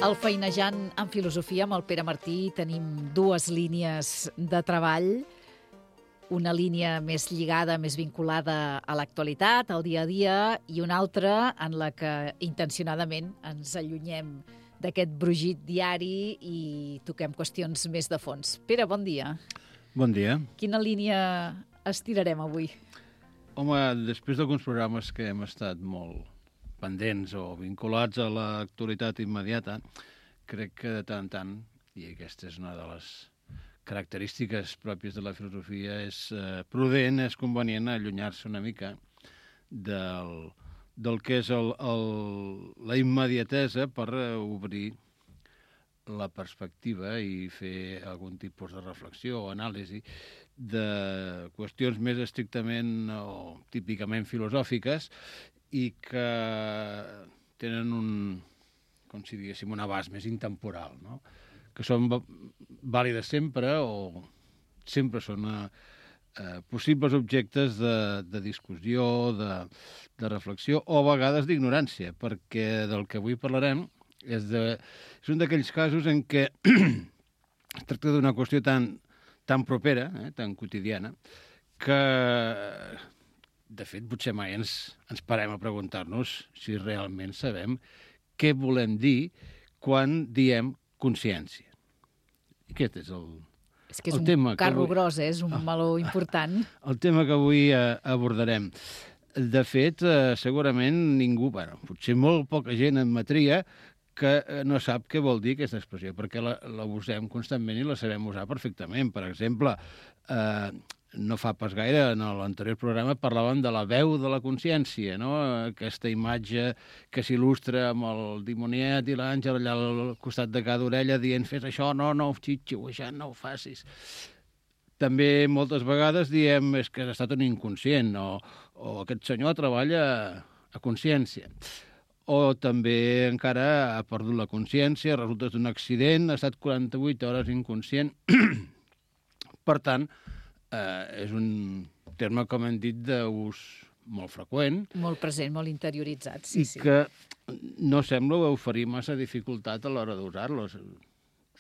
Al Feinejant en Filosofia amb el Pere Martí tenim dues línies de treball, una línia més lligada, més vinculada a l'actualitat, al dia a dia, i una altra en la que intencionadament ens allunyem d'aquest brugit diari i toquem qüestions més de fons. Pere, bon dia. Bon dia. Quina línia estirarem avui? Home, després d'alguns programes que hem estat molt pendents o vinculats a l'actualitat immediata, crec que de tant en tant, i aquesta és una de les característiques pròpies de la filosofia, és prudent, és convenient allunyar-se una mica del que és la immediatesa per obrir la perspectiva i fer algun tipus de reflexió o anàlisi de qüestions més estrictament o típicament filosòfiques i que tenen com si diguéssim, un abast més intemporal, no? Que són vàlides sempre o sempre són possibles objectes de discussió, de reflexió o a vegades d'ignorància, perquè del que avui parlarem és un d'aquells casos en què es tracta d'una qüestió tan propera, tan quotidiana, que de fet potser mai ens parem a preguntar-nos si realment sabem què volem dir quan diem consciència. I aquest és el És que és tema un carro gros, és un meló important. El tema que avui abordarem. De fet, segurament ningú, potser molt poca gent admetria que no sap què vol dir aquesta expressió, perquè la usem constantment i la sabem usar perfectament. Per exemple, no fa pas gaire, en l'anterior programa, parlàvem de la veu de la consciència, no? Aquesta imatge que s'il·lustra amb el dimoniet i l'àngel allà al costat de cada orella dient fes això, no, xitxiuejant, no ho facis. També moltes vegades diem és que has estat un inconscient o aquest senyor treballa a consciència. O també encara ha perdut la consciència, resulta d'un accident, ha estat 48 hores inconscient. Per tant, és un terme, com hem dit, d'ús molt freqüent. Molt present, molt interioritzat, sí. I que no sembla oferir massa dificultat a l'hora d'usar-lo.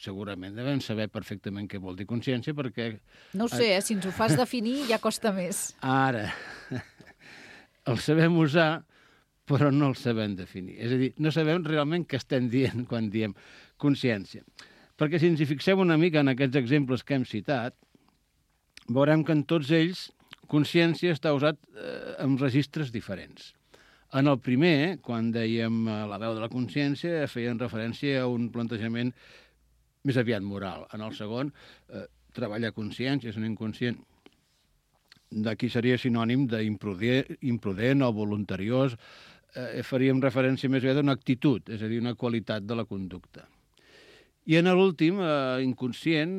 Segurament devem saber perfectament què vol dir consciència, perquè... No ho sé, si ens ho fas definir ja costa més. Ara, el sabem usar, però no el sabem definir. És a dir, no sabem realment què estem dient quan diem consciència. Perquè si ens hi fixem una mica en aquests exemples que hem citat, veurem que en tots ells consciència està usat en registres diferents. En el primer, quan dèiem la veu de la consciència, feien referència a un plantejament més aviat moral. En el segon, treballar consciència, és un inconscient. D'aquí seria sinònim d'imprudent o voluntariós. Faríem referència més aviat a una actitud, és a dir, una qualitat de la conducta. I en l'últim, inconscient,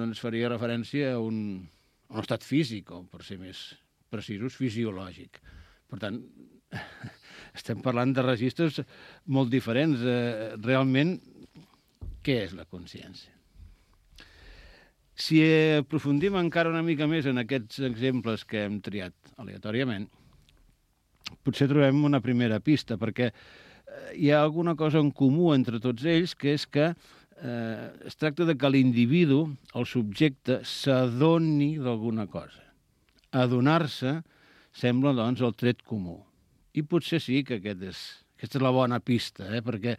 doncs faria referència a un estat físic, o per ser més precisos, fisiològic. Per tant, estem parlant de registres molt diferents. Realment, què és la consciència? Si aprofundim encara una mica més en aquests exemples que hem triat aleatòriament, potser trobem una primera pista, perquè hi ha alguna cosa en comú entre tots ells, que és que es tracta de que l'individu, el subjecte, s'adoni d'alguna cosa. Adonar-se sembla, doncs, el tret comú. I potser sí que aquesta és la bona pista, perquè,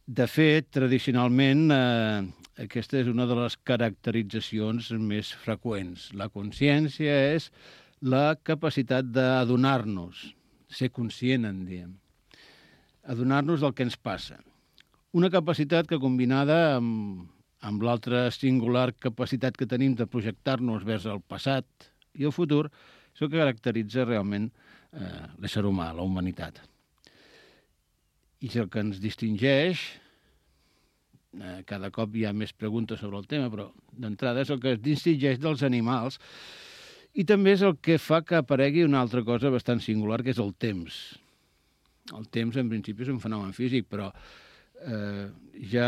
de fet, tradicionalment, aquesta és una de les caracteritzacions més freqüents. La consciència és la capacitat d'adonar-nos, ser conscient, en diem. Adonar-nos del que ens passa. Una capacitat que, combinada amb l'altra singular capacitat que tenim de projectar-nos vers el passat i el futur, és el que caracteritza realment l'ésser humà, la humanitat. I és el que ens distingeix, cada cop hi ha més preguntes sobre el tema, però d'entrada és el que ens distingeix dels animals i també és el que fa que aparegui una altra cosa bastant singular, que és el temps. El temps, en principi, és un fenomen físic, però ja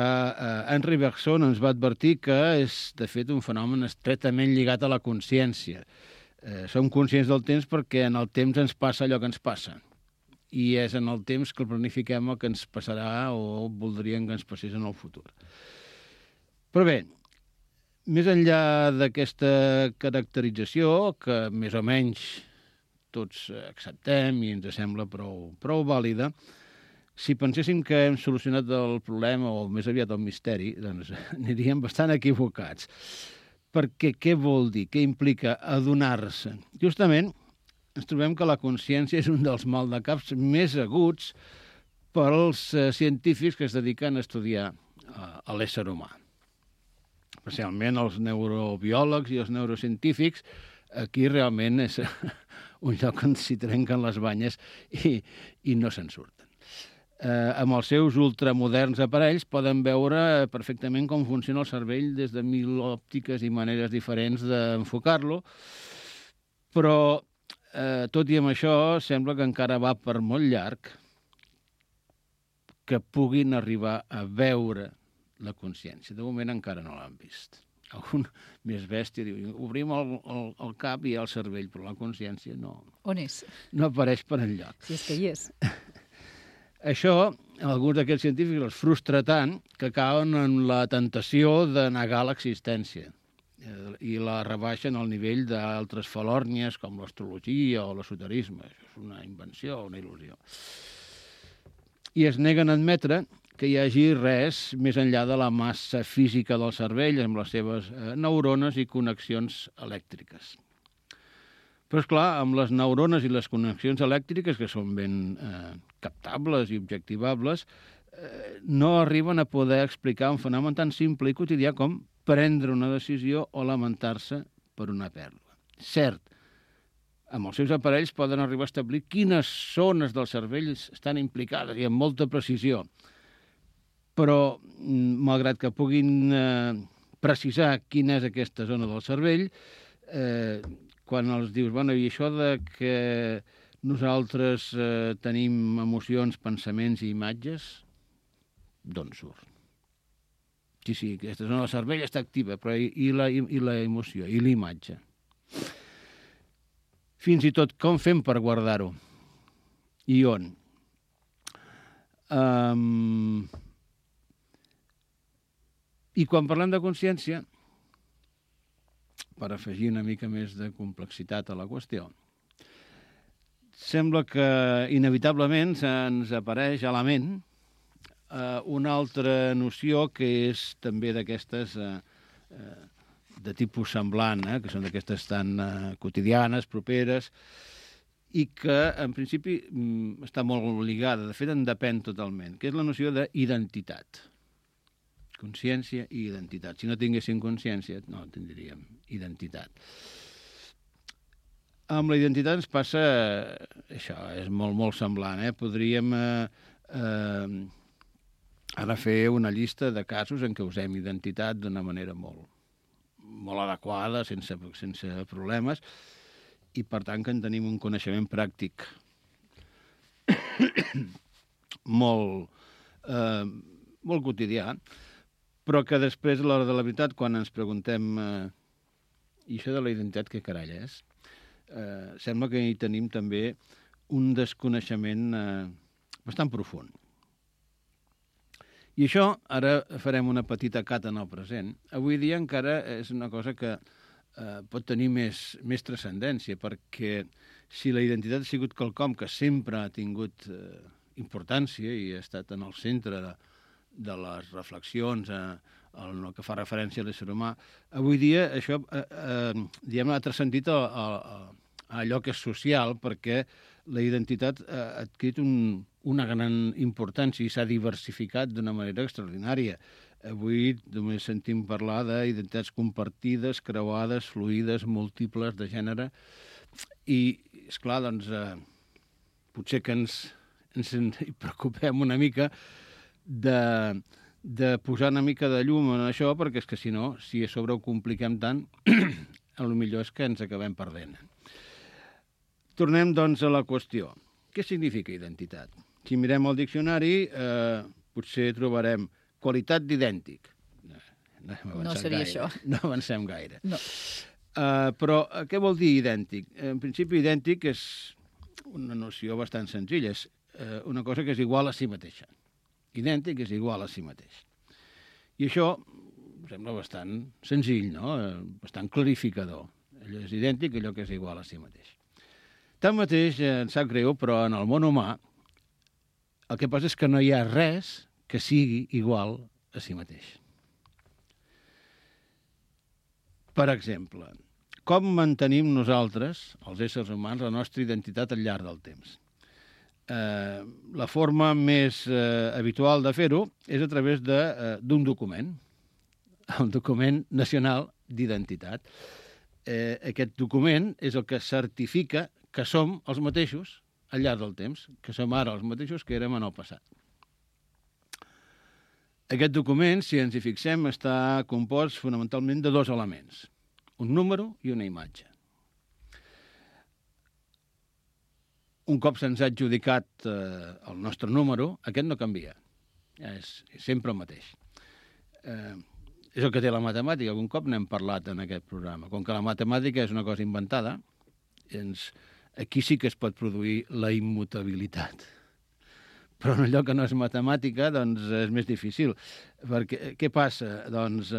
Henri Bergson ens va advertir que és, de fet, un fenomen estretament lligat a la consciència. Som conscients del temps perquè en el temps ens passa allò que ens passa. i és en el temps que el planifiquem el que ens passarà o voldríem que ens passés en el futur. Però bé, més enllà d'aquesta caracterització, que més o menys tots acceptem i ens sembla prou vàlida, si penséssim que hem solucionat el problema o més aviat el misteri, doncs aniríem bastant equivocats. Perquè què vol dir? Què implica adonar-se? Justament ens trobem que la consciència és un dels maldecaps més aguts pels científics que es dediquen a estudiar a l'ésser humà. Especialment els neurobiòlegs i els neurocientífics, aquí realment és un lloc on s'hi trenquen les banyes i no se'n surten. Amb els seus ultramoderns aparells poden veure perfectament com funciona el cervell des de 1000 òptiques i maneres diferents d'enfocar-lo, però tot i amb això sembla que encara va per molt llarg que puguin arribar a veure la consciència. De moment encara no l'han vist. Algun més bèstia diu, obrim el cap i hi ha el cervell, però la consciència no. On és? No apareix per enlloc. Si és que hi és. Això, alguns d'aquests científics els frustra tant que cauen en la tentació de negar l'existència i la rebaixen al nivell d'altres falòrnies com l'astrologia o l'esoterisme. Això és una invenció, una il·lusió. I es neguen a admetre que hi hagi res més enllà de la massa física del cervell amb les seves neurones i connexions elèctriques. Però, esclar, amb les neurones i les connexions elèctriques, que són ben captables i objectivables, no arriben a poder explicar un fenomen tan simple i quotidià com prendre una decisió o lamentar-se per una pèrdua. Cert, amb els seus aparells poden arribar a establir quines zones del cervell estan implicades i amb molta precisió. Però, malgrat que puguin precisar quina és aquesta zona del cervell, quan els dius, bueno, i això de que nosaltres tenim emocions, pensaments i imatges, d'on surt? Sí, aquesta zona del cervell està activa, però i la emoció, i l'imatge? Fins i tot, com fem per guardar-ho? I on? I quan parlem de consciència, per afegir una mica més de complexitat a la qüestió, sembla que inevitablement se'ns apareix a la ment una altra noció que és també d'aquestes de tipus semblant, que són d'aquestes tan quotidianes, properes, i que en principi està molt lligada, de fet en depèn totalment, que és la noció d'identitat. Consciència i identitat. Si no tinguéssim consciència, no tindríem identitat. Amb la identitat ens passa això, és molt semblant. Podríem ara fer una llista de casos en què usem identitat d'una manera molt adequada, sense problemes, i per tant que en tenim un coneixement pràctic molt quotidià, però que després, a l'hora de la veritat, quan ens preguntem i això de la identitat què carall és, sembla que hi tenim també un desconeixement bastant profund. I això, ara farem una petita cata en el present. Avui dia encara és una cosa que pot tenir més transcendència, perquè si la identitat ha sigut quelcom que sempre ha tingut importància i ha estat en el centre de les reflexions en el que fa referència a l'ésser humà, avui dia això ha transcendit a allò que és social, perquè la identitat ha adquirit una gran importància i s'ha diversificat d'una manera extraordinària. Avui només sentim parlar d'identitats compartides, creuades, fluïdes, múltiples, de gènere, i, esclar, doncs, potser que ens hi preocupem una mica de posar una mica de llum en això, perquè és que si no, si a sobre ho compliquem tant, el millor és que ens acabem perdent. Tornem, doncs, a la qüestió. Què significa identitat? Si mirem el diccionari, potser trobarem qualitat d'idèntic. No seria això. No avancem gaire. No. Però què vol dir idèntic? En principi, idèntic és una noció bastant senzilla. És una cosa que és igual a si mateixa. Idèntic és igual a si mateix. I això em sembla bastant senzill, no? Bastant clarificador. Allò és idèntic a allò que és igual a si mateix. Tanmateix, em sap greu, però en el món humà el que passa és que no hi ha res que sigui igual a si mateix. Per exemple, com mantenim nosaltres, els éssers humans, la nostra identitat al llarg del temps? La forma més habitual de fer-ho és a través d'un document, el document nacional d'identitat. Aquest document és el que certifica que som els mateixos al llarg del temps, que som ara els mateixos que érem en el passat. Aquest document, si ens hi fixem, està compost fonamentalment de dos elements, un número i una imatge. Un cop se'ns ha adjudicat el nostre número, aquest no canvia, és sempre el mateix. És el que té la matemàtica, algun cop n'hem parlat en aquest programa. Com que la matemàtica és una cosa inventada, aquí sí que es pot produir la immutabilitat. Però en allò que no és matemàtica, doncs és més difícil. Perquè què passa? Doncs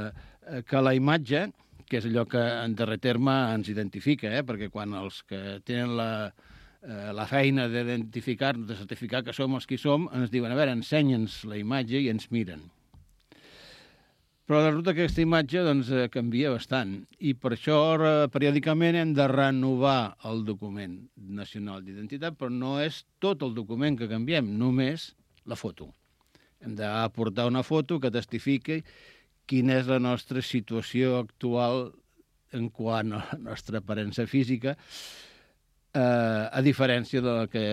que la imatge, que és allò que en darrer terme ens identifica, perquè quan els que tenen la feina d'identificar-nos, de certificar que som els qui som, ens diuen, a veure, ensenya'ns la imatge i ens miren. Però resulta que aquesta imatge canvia bastant i per això periòdicament hem de renovar el document nacional d'identitat, però no és tot el document que canviem, només la foto. Hem d'aportar una foto que testifiqui quina és la nostra situació actual en quant a la nostra aparença física, a diferència de la que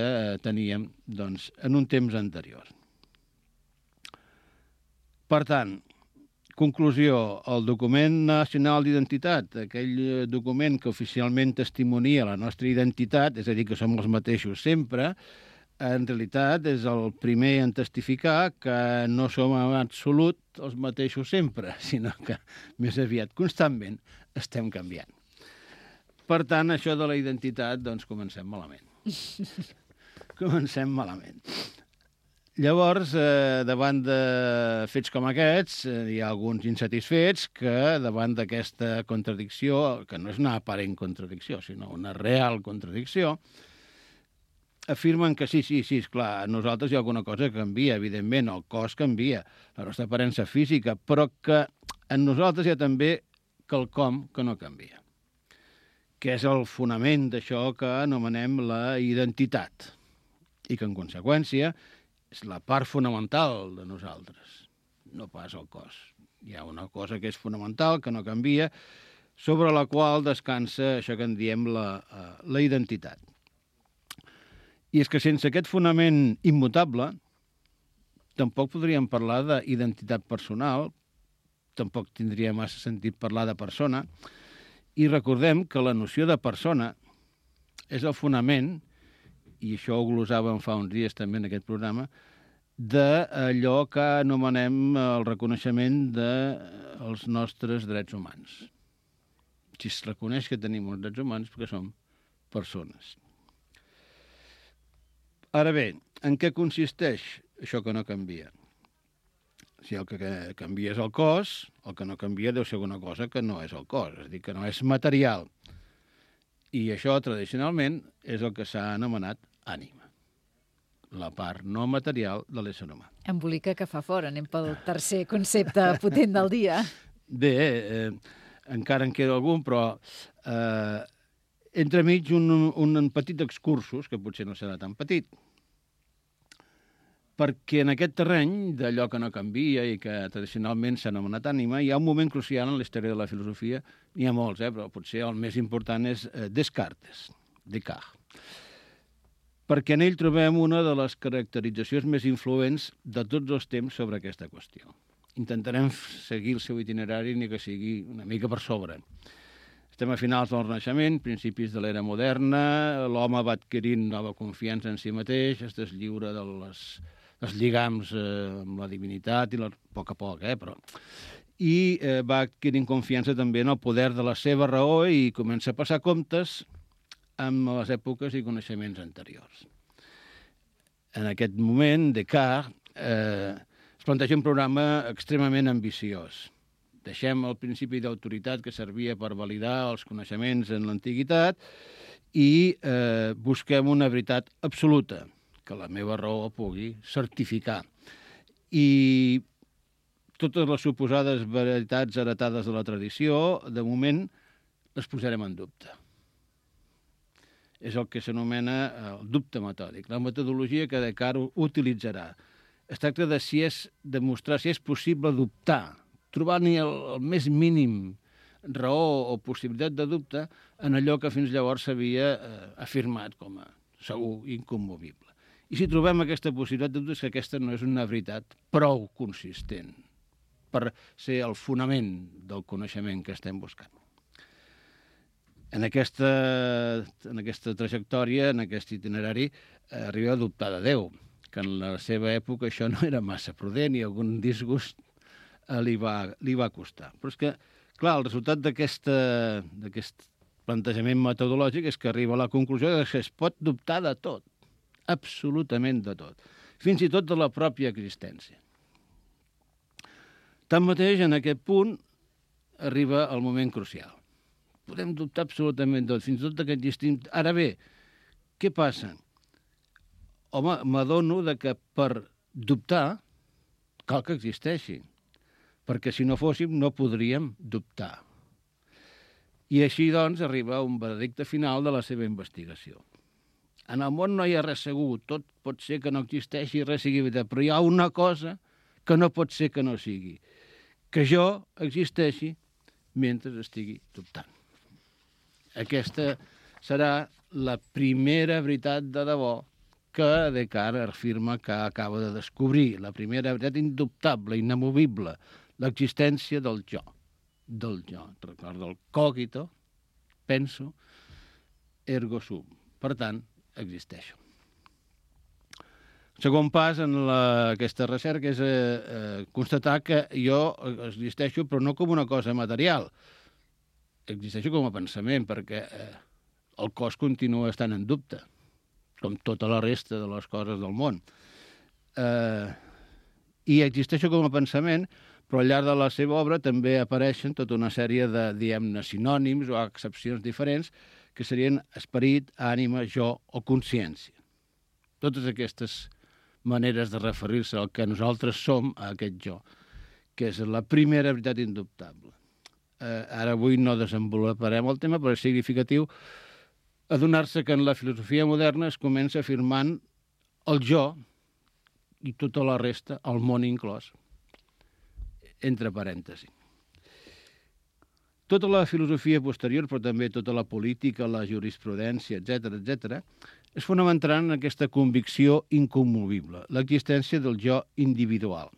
teníem en un temps anterior. Per tant, conclusió, el document nacional d'identitat, aquell document que oficialment testimonia la nostra identitat, és a dir, que som els mateixos sempre, en realitat és el primer en testificar que no som en absolut els mateixos sempre, sinó que més aviat constantment estem canviant. Per tant, això de la identitat, comencem malament. Comencem malament. Llavors, davant de fets com aquests, hi ha alguns insatisfets que, davant d'aquesta contradicció, que no és una aparent contradicció, sinó una real contradicció, afirmen que sí, esclar, a nosaltres hi ha alguna cosa que canvia, evidentment, el cos canvia, la nostra aparença física, però que en nosaltres hi ha també quelcom que no canvia, que és el fonament d'això que anomenem la identitat, i que, en conseqüència, és la part fonamental de nosaltres, no pas el cos. Hi ha una cosa que és fonamental, que no canvia, sobre la qual descansa això que en diem la identitat. I és que sense aquest fonament immutable, tampoc podríem parlar d'identitat personal, tampoc tindria massa sentit parlar de persona, i recordem que la noció de persona és el fonament, i això ho glosàvem fa uns dies també en aquest programa, d'allò que anomenem el reconeixement dels nostres drets humans. Si es reconeix que tenim uns drets humans, perquè som persones. Ara bé, en què consisteix això que no canvia? Si el que canvia és el cos, el que no canvia deu ser alguna cosa que no és el cos, és a dir, que no és material. I això, tradicionalment, és el que s'ha anomenat ànima, la part no material de l'ésser humà. Embolica que fa fora, anem pel tercer concepte potent del dia. Bé, encara en queda algun, però entremig un petit excursus, que potser no serà tan petit, perquè en aquest terreny d'allò que no canvia i que tradicionalment s'ha anomenat ànima, hi ha un moment crucial en la història de la filosofia, n'hi ha molts, però potser el més important és Descartes, perquè en ell trobem una de les caracteritzacions més influents de tots els temps sobre aquesta qüestió. Intentarem seguir el seu itinerari ni que sigui una mica per sobre. Estem a finals del Renaixement, principis de l'era moderna, l'home va adquirint nova confiança en si mateix, es deslliura dels lligams amb la divinitat, a poc, però... I va adquirint confiança també en el poder de la seva raó i comença a passar comptes amb les èpoques i coneixements anteriors. En aquest moment, Descartes es planteja un programa extremament ambiciós. Deixem el principi d'autoritat que servia per validar els coneixements en l'antiguitat i busquem una veritat absoluta, que la meva raó pugui certificar. I totes les suposades veritats heretades de la tradició, de moment, les posarem en dubte. És el que s'anomena el dubte metòdic, la metodologia que Descartes utilitzarà. Es tracta de demostrar si és possible dubtar, trobar-hi el més mínim raó o possibilitat de dubte en allò que fins llavors s'havia afirmat com a segur incommovible. I si trobem aquesta possibilitat de dubte és que aquesta no és una veritat prou consistent per ser el fonament del coneixement que estem buscant. En aquesta trajectòria, en aquest itinerari, arriba a dubtar de Déu, que en la seva època això no era massa prudent i algun disgust li va costar. Però és que, clar, el resultat d'aquest plantejament metodològic és que arriba a la conclusió que es pot dubtar de tot, absolutament de tot, fins i tot de la pròpia existència. Tanmateix, en aquest punt, arriba el moment crucial. Podem dubtar absolutament tot, fins i tot que existim. Ara bé, què passa? Home, m'adono que per dubtar cal que existeixi, perquè si no fóssim no podríem dubtar. I així, doncs, arriba un veredicte final de la seva investigació. En el món no hi ha res segur, tot pot ser que no existeixi, res sigui veritat, però hi ha una cosa que no pot ser que no sigui, que jo existeixi mentre estigui dubtant. Aquesta serà la primera veritat de debò que Descartes afirma que acaba de descobrir, la primera veritat indubtable, inamovible, l'existència del jo. Recorda el cogito, penso, ergo sum. Per tant, existeixo. El segon pas en aquesta recerca és constatar que jo existeixo, però no com una cosa material. Existeixo com a pensament, perquè el cos continua estant en dubte, com tota la resta de les coses del món. I existeixo com a pensament, però al llarg de la seva obra també apareixen tota una sèrie de, diguem-ne, sinònims o accepcions diferents que serien esperit, ànima, jo o consciència. Totes aquestes maneres de referir-se al que nosaltres som, a aquest jo, que és la primera veritat indubtable. Ara avui no desenvoluparem el tema, però és significatiu adonar-se que en la filosofia moderna es comença afirmant el jo i tota la resta, el món inclòs, entre parèntesis. Tota la filosofia posterior, però també tota la política, la jurisprudència, etc., es fonamentaran en aquesta convicció incommovible, l'existència del jo individual.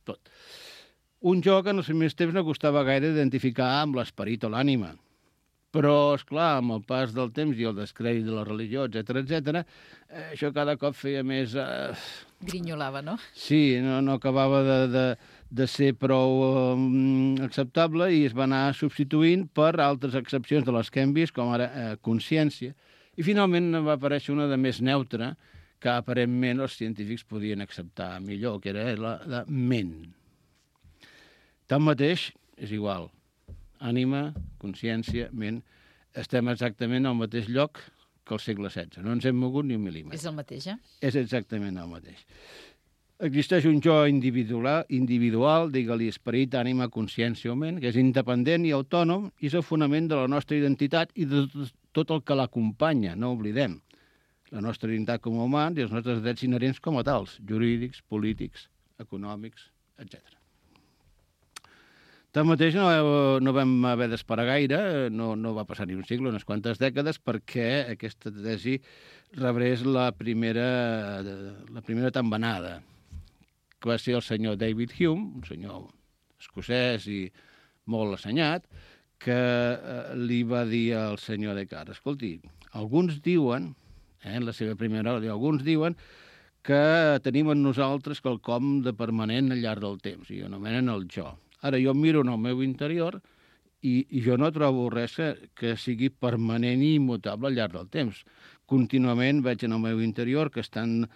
Tot. Un jo que en els primers temps no costava gaire identificar amb l'esperit o l'ànima. Però, esclar, amb el pas del temps i el descrèdit de la religió, etc., això cada cop feia més... Grinyolava, no? Sí, no acabava de ser prou acceptable i es va anar substituint per altres excepcions de les que hem vist, com ara consciència. I finalment va aparèixer una de més neutra, que aparentment els científics podien acceptar millor, que era la ment. Tanmateix, és igual. Ànima, consciència, ment, estem exactament al mateix lloc que al segle XVI. No ens hem mogut ni un mil·límetre. És el mateix, eh? És exactament el mateix. Existeix un jo individual, digue-li esperit, ànima, consciència o ment, que és independent i autònom i és el fonament de la nostra identitat i de tot el que l'acompanya, no oblidem. La nostra identitat com a humans i els nostres drets inherents com a tals, jurídics, polítics, econòmics, etc. Tanmateix no vam haver d'esperar gaire, no va passar ni un segle, unes quantes dècades, perquè aquesta tesi rebrés la primera tambanada, que va ser el senyor David Hume, un senyor escocès i molt assenyat, que li va dir al senyor Descartes, escolti, alguns diuen, en la seva primera hora, alguns diuen que tenim en nosaltres quelcom de permanent al llarg del temps, i anomenen el jo. Ara jo miro en el meu interior I jo no trobo res que sigui permanent i immutable al llarg del temps. Continuament veig en el meu interior que estan,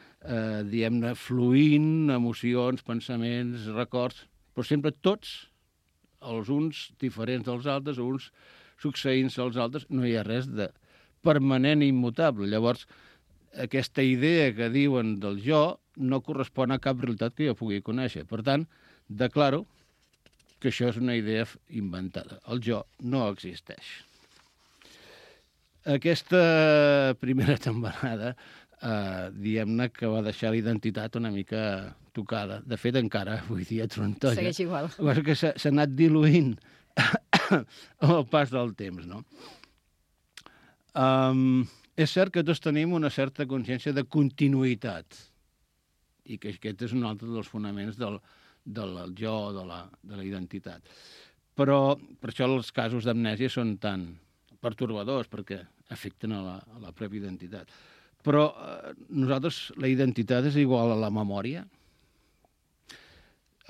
diguem-ne, fluint emocions, pensaments, records, però sempre tots, els uns diferents dels altres, uns succeint-se als altres, no hi ha res de permanent i immutable. Llavors, aquesta idea que diuen del jo no correspon a cap realitat que jo pugui conèixer. Per tant, declaro que això és una idea inventada. El jo no existeix. Aquesta primera temporada, diguem-ne que va deixar la identitat una mica tocada. De fet, encara avui dia trontolla. Segueix igual. Que s'ha anat diluint amb el pas del temps, no? És cert que tots tenim una certa consciència de continuïtat i que aquest és un altre dels fonaments del jo, de la identitat. Però per això els casos d'amnèsia són tan pertorbadors, perquè afecten a la pròpia identitat. Però nosaltres, la identitat és igual a la memòria.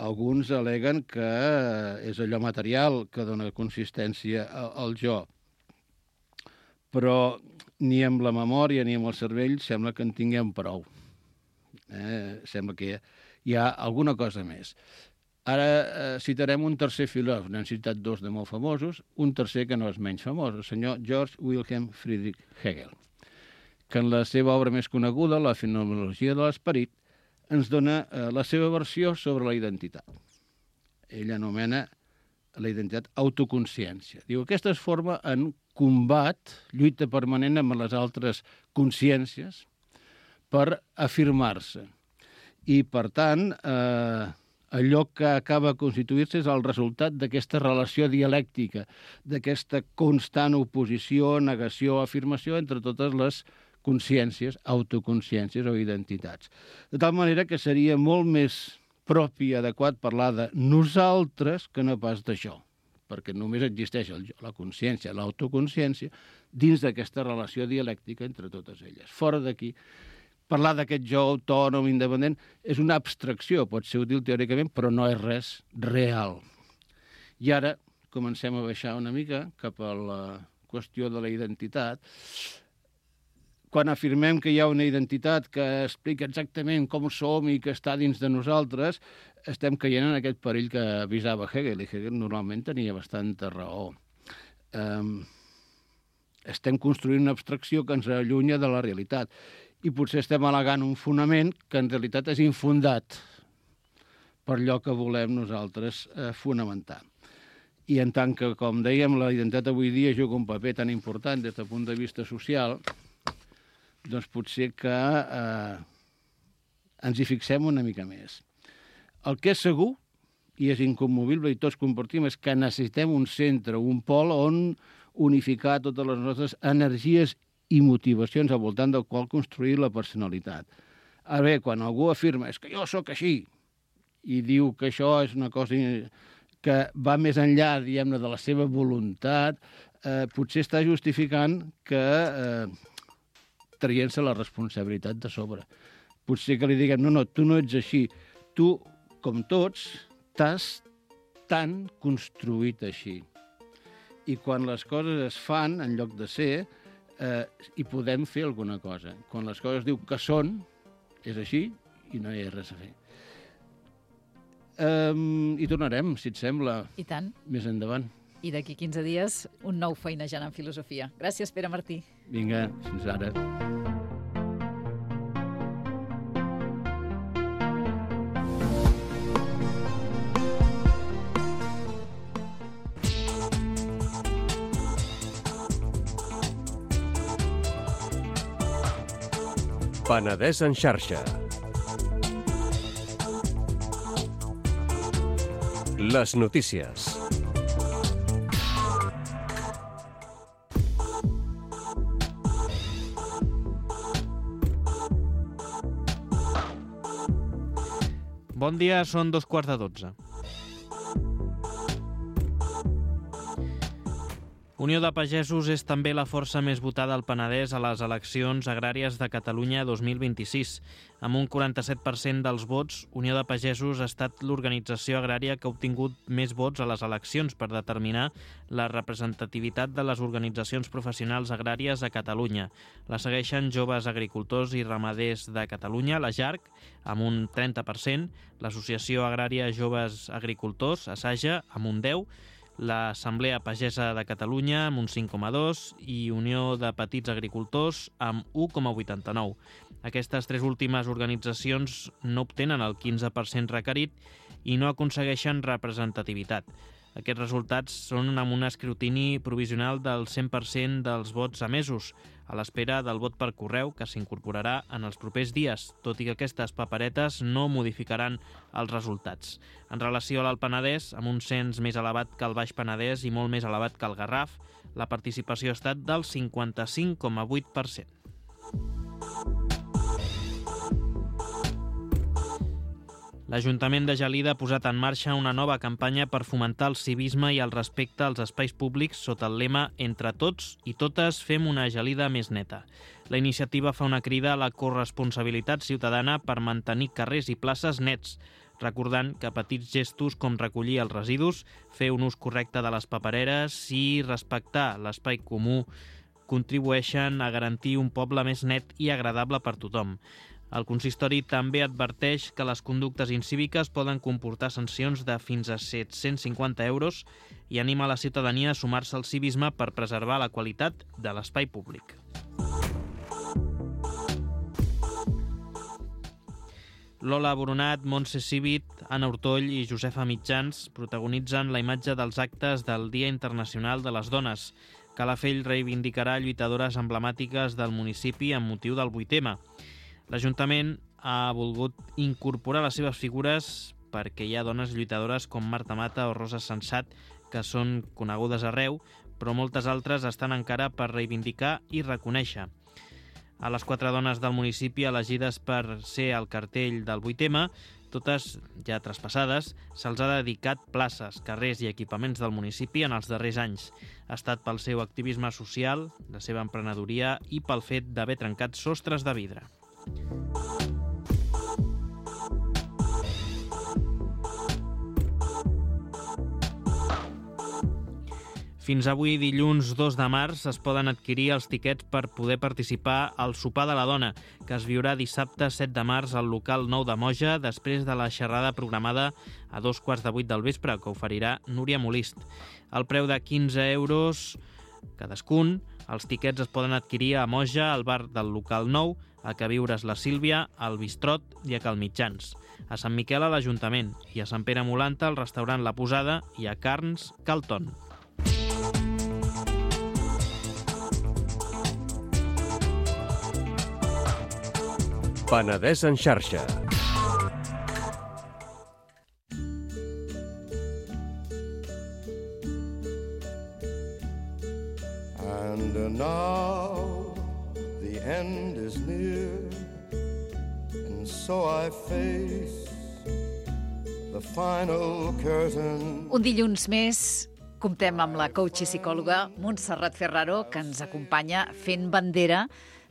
Alguns al·leguen que és allò material que dona consistència al jo. Però ni amb la memòria ni amb el cervell sembla que en tinguem prou. Sembla que hi ha alguna cosa més. Ara citarem un tercer filòsof, n'hem citat dos de molt famosos, un tercer que no és menys famós, el senyor Georg Wilhelm Friedrich Hegel, que en la seva obra més coneguda, La fenomenologia de l'esperit, ens dona la seva versió sobre la identitat. Ell anomena la identitat autoconsciència. Diu, aquesta es forma en combat, lluita permanent amb les altres consciències per afirmar-se. I, per tant, allò que acaba de constituir-se és el resultat d'aquesta relació dialèctica, d'aquesta constant oposició, negació, afirmació entre totes les consciències, autoconsciències o identitats. De tal manera que seria molt més propi i adequat parlar de nosaltres que no pas d'això, perquè només existeix el jo, la consciència, l'autoconsciència, dins d'aquesta relació dialèctica entre totes elles. Fora d'aquí, parlar d'aquest jo autònom, independent, és una abstracció, pot ser útil teòricament, però no és res real. I ara comencem a baixar una mica cap a la qüestió de la identitat. Quan afirmem que hi ha una identitat que explica exactament com som i que està dins de nosaltres, estem caient en aquest perill que avisava Hegel, i Hegel normalment tenia bastanta raó. Estem construint una abstracció que ens allunya de la realitat i potser estem al·legant un fonament que en realitat és infundat per allò que volem nosaltres fonamentar. I en tant que, com dèiem, la identitat avui dia juga un paper tan important des del punt de vista social, doncs potser que ens hi fixem una mica més. El que és segur, i és incommovible i tots compartim, és que necessitem un centre, un pol on unificar totes les nostres energies i motivacions al voltant del qual construir la personalitat. Ara bé, quan algú afirma és que jo sóc així i diu que això és una cosa que va més enllà, diguem-ne, de la seva voluntat, potser està justificant que traient-se la responsabilitat de sobre. Potser que li diguem, no, tu no ets així. Tu, com tots, t'has tan construït així. I quan les coses es fan, en lloc de ser, hi podem fer alguna cosa. Quan les coses diu que són, és així i no hi ha res a fer. I tornarem, si et sembla, I tant. Més endavant. I d'aquí 15 dies, un nou Feinejant en Filosofia. Gràcies, Pere Martí. Vinga, fins ara. Penedès en xarxa. Les notícies. Bon dia, són 2:15. Unió de Pagesos és també la força més votada al Penedès a les eleccions agràries de Catalunya 2026. Amb un 47% dels vots, Unió de Pagesos ha estat l'organització agrària que ha obtingut més vots a les eleccions per determinar la representativitat de les organitzacions professionals agràries a Catalunya. La segueixen Joves Agricultors i Ramaders de Catalunya, la JARC, amb un 30%, l'Associació Agrària Joves Agricultors, ASAJA, amb un 10%, l'Assemblea Pagesa de Catalunya amb un 5,2 i Unió de Petits Agricultors amb 1,89. Aquestes tres últimes organitzacions no obtenen el 15% requerit i no aconsegueixen representativitat. Aquests resultats són amb un escrutini provisional del 100% dels vots emesos, a l'espera del vot per correu que s'incorporarà en els propers dies, tot i que aquestes paperetes no modificaran els resultats. En relació a l'Alt Penedès, amb un cens més elevat que el Baix Penedès i molt més elevat que el Garraf, la participació ha estat del 55,8%. L'Ajuntament de Gelida ha posat en marxa una nova campanya per fomentar el civisme i el respecte als espais públics sota el lema «Entre tots i totes fem una Gelida més neta». La iniciativa fa una crida a la corresponsabilitat ciutadana per mantenir carrers i places nets, recordant que petits gestos com recollir els residus, fer un ús correcte de les papereres i respectar l'espai comú contribueixen a garantir un poble més net i agradable per tothom. El consistori també adverteix que les conductes incíviques poden comportar sancions de fins a 750 euros i anima la ciutadania a sumar-se al civisme per preservar la qualitat de l'espai públic. Lola Boronat, Montse Civit, Anna Ortoll i Josefa Mitjans protagonitzen la imatge dels actes del Dia Internacional de les Dones. Calafell reivindicarà lluitadores emblemàtiques del municipi amb motiu del 8M. L'Ajuntament ha volgut incorporar les seves figures perquè hi ha dones lluitadores com Marta Mata o Rosa Sensat que són conegudes arreu, però moltes altres estan encara per reivindicar i reconèixer. A les 4 dones del municipi elegides per ser al cartell del 8M, totes ja traspassades, se'ls ha dedicat places, carrers i equipaments del municipi en els darrers anys. Ha estat pel seu activisme social, la seva emprenedoria i pel fet d'haver trencat sostres de vidre. Fins avui, dilluns 2 de març, es poden adquirir els tiquets per poder participar al Sopar de la Dona, que es viurà dissabte 7 de març al local 9 de Moja, després de la xerrada programada a 2:15 del vespre, que oferirà Núria Molist. El preu de 15 euros cadascun, els tiquets es poden adquirir a Moja, al bar del local 9, a Queviures la Sílvia, al Bistrot i a Cal Mitjans, a Sant Miquel a l'Ajuntament i a Sant Pere Molanta al restaurant La Posada i a Carns Calton. Penedès en xarxa. And now the end is near, and so I face the final curtain. Un dilluns més comptem amb la coach i psicòloga Montserrat Ferraro, que ens acompanya fent bandera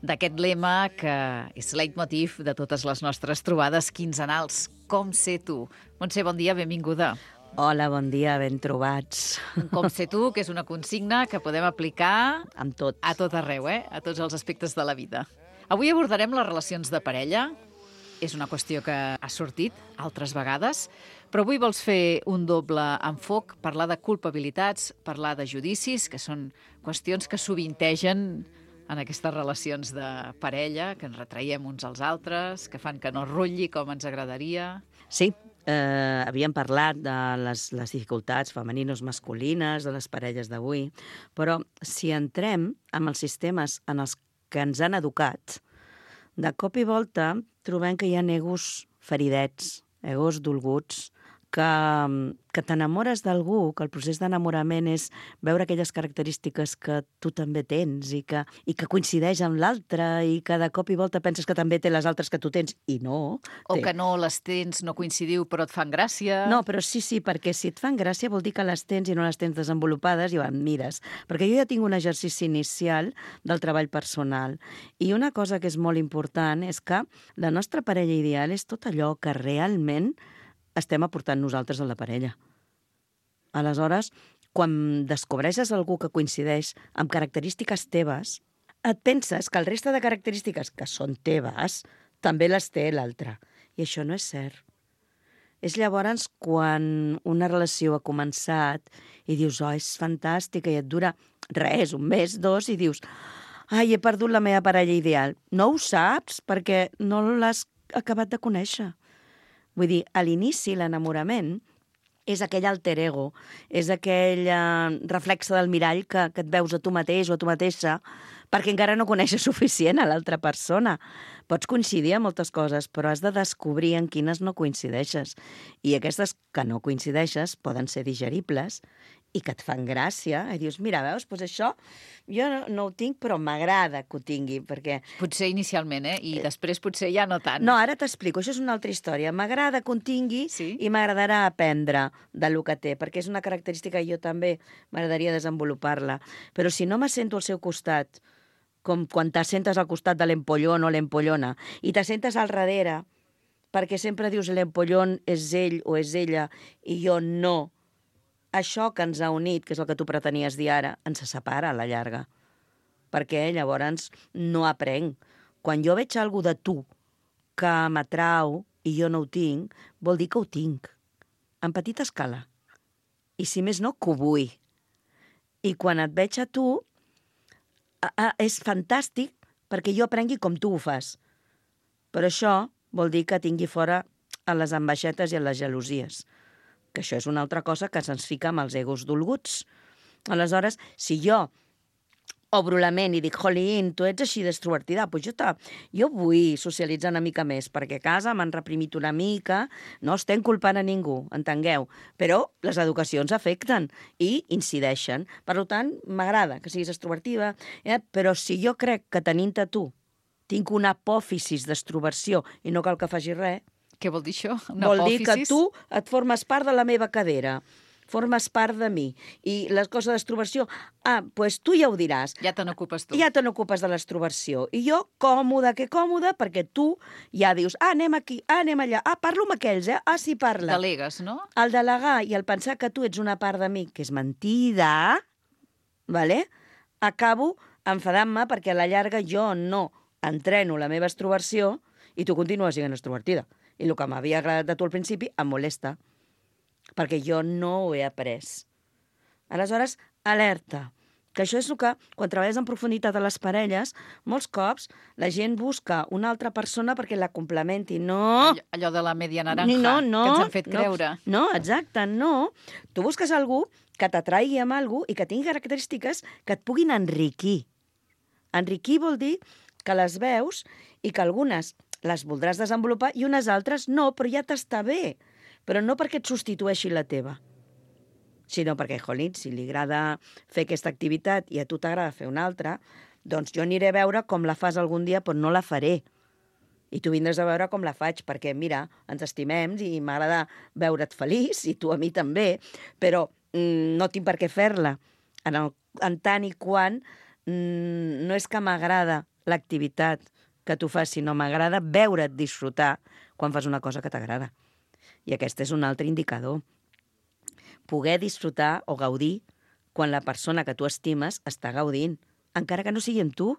d'aquest lema que és leitmotiv de totes les nostres trobades quinzenals. Com ser tu? Montse, bon dia, benvinguda. Hola, bon dia, ben trobats. Com ser tu, que és una consigna que podem aplicar Amb tot. a tot arreu, a tots els aspectes de la vida. Avui abordarem les relacions de parella. És una qüestió que ha sortit altres vegades, però avui vols fer un doble enfoc, parlar de culpabilitats, parlar de judicis, que són qüestions que sovintegen en aquestes relacions de parella, que ens retraiem uns als altres, que fan que no rotlli com ens agradaria. Sí, havíem parlat de les dificultats femenines masculines de les parelles d'avui, però si entrem en els sistemes en els que ens han educat, de cop i volta trobem que hi ha egos feridets, egos dolguts, que t'enamores d'algú, que el procés d'enamorament és veure aquelles característiques que tu també tens i que coincideix amb l'altre i que de cop i volta penses que també té les altres que tu tens i no. O que no les tens, no coincidiu, però et fan gràcia. No, però sí, perquè si et fan gràcia vol dir que les tens i no les tens desenvolupades i ho admires. Perquè jo ja tinc un exercici inicial del treball personal i una cosa que és molt important és que la nostra parella ideal és tot allò que realment estem aportant nosaltres a la parella. Aleshores, quan descobreixes algú que coincideix amb característiques teves, et penses que el reste de característiques que són teves també les té l'altre. I això no és cert. És llavors quan una relació ha començat i dius, oh, és fantàstica, i et dura res, un mes, dos, i dius, ai, he perdut la meva parella ideal. No ho saps perquè no l'has acabat de conèixer. Vull dir, a l'inici, l'enamorament és aquell alter ego, és aquell reflexe del mirall que et veus a tu mateix o a tu mateixa perquè encara no coneixes suficient a l'altra persona. Pots coincidir en moltes coses, però has de descobrir en quines no coincideixes. I aquestes que no coincideixes poden ser digeribles i que et fan gràcia. I dius, mira, veus, doncs això jo no ho tinc, però m'agrada que ho tingui, perquè... Potser inicialment, I després potser ja no tant. No, ara t'explico, això és una altra història. M'agrada que ho tingui Sí? i m'agradarà aprendre del que té, perquè és una característica que jo també m'agradaria desenvolupar-la. Però si no me sento al seu costat, com quan t'assentes al costat de l'empollón o l'empollona, i t'assentes al darrere, perquè sempre dius l'empollón és ell o és ella, i jo no. Això que ens ha unit, que és el que tu pretenies dir ara, ens separa a la llarga. Perquè llavors no aprenc. Quan jo veig alguna de tu que m'atrau i jo no ho tinc, vol dir que ho tinc. En petita escala. I si més no, que ho vull. I quan et veig a tu, és fantàstic perquè jo aprengui com tu ho fas. Però això vol dir que tingui fora a les ambaixetes i a les gelosies. Que això és una altra cosa que se'ns fica amb els egos dolguts. Aleshores, si jo obro la ment i dic, jolín, tu ets així d'extrovertida, doncs jo vull socialitzar una mica més, perquè a casa m'han reprimit una mica, no estem culpant a ningú, entengueu, però les educacions afecten i incideixen. Per tant, m'agrada que siguis extrovertida, però si jo crec que tenint-te tu tinc una apòfisis d'extroversió i no cal que faci res, Què vol dir això? vol dir que tu et formes part de la meva cadera, formes part de mi. I les coses d'extroversió, doncs tu ja ho diràs. Ja te n'ocupes tu. Ja te n'ocupes de l'extroversió. I jo, còmode, perquè tu ja dius, anem aquí, anem allà, parlo amb aquells, sí, parla. Delegues, no? El delegar i el pensar que tu ets una part de mi, que és mentida, vale? Acabo enfadant-me perquè a la llarga jo no entreno la meva extroversió i tu continues sent extrovertida. I el que m'havia agradat de tu al principi em molesta, perquè jo no ho he après. Aleshores, alerta, que això és el que, quan treballes en profunditat a les parelles, molts cops la gent busca una altra persona perquè la complementi. No! Allò de la media naranja, que ens han fet creure. No, exacte, no. Tu busques algú que t'atraigui amb algú i que tingui característiques que et puguin enriquir. Enriquir vol dir que les veus i que algunes les voldràs desenvolupar i unes altres no, però ja t'està bé. Però no perquè et substitueixi la teva, sinó perquè, jolín, si li agrada fer aquesta activitat i a tu t'agrada fer una altra, doncs jo aniré a veure com la fas algun dia, però no la faré. I tu vindràs a veure com la faig, perquè, mira, ens estimem i m'agrada veure't feliç, i tu a mi també, però no tinc per què fer-la. En tant i quan no és que m'agrada l'activitat que tu fas, sinó m'agrada veure't disfrutar quan fas una cosa que t'agrada. I aquest és un altre indicador. Poder disfrutar o gaudir quan la persona que tu estimes està gaudint, encara que no sigui amb tu.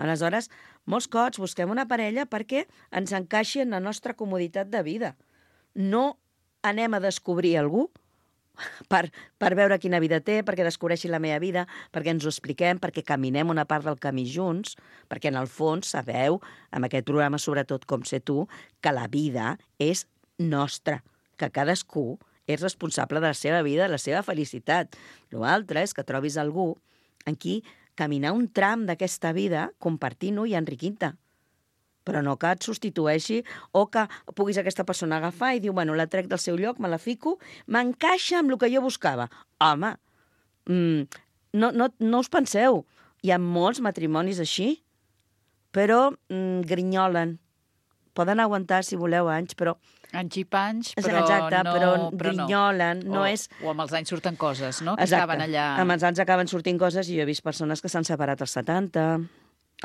Aleshores, molts cops busquem una parella perquè ens encaixi en la nostra comoditat de vida. No anem a descobrir algú per veure quina vida té, perquè descobreixi la meva vida, perquè ens ho expliquem, perquè caminem una part del camí junts, perquè en el fons sabeu, amb aquest programa sobretot com sé tu, que la vida és nostra, que cadascú és responsable de la seva vida, de la seva felicitat. L'altre és que trobis algú en qui caminar un tram d'aquesta vida compartint-ho i enriquint-te. però no que et substitueixi o que puguis aquesta persona agafar i dir, bueno, la trec del seu lloc, me la fico, m'encaixa amb el que jo buscava. Home, no us penseu, hi ha molts matrimonis així, però grinyolen. Poden aguantar, si voleu, anys, però... Anys i panys, però exacte, no... però grinyolen, no és... O amb els anys surten coses, no? Que Exacte. estaven allà... Amb els anys acaben sortint coses i jo he vist persones que s'han separat als 70,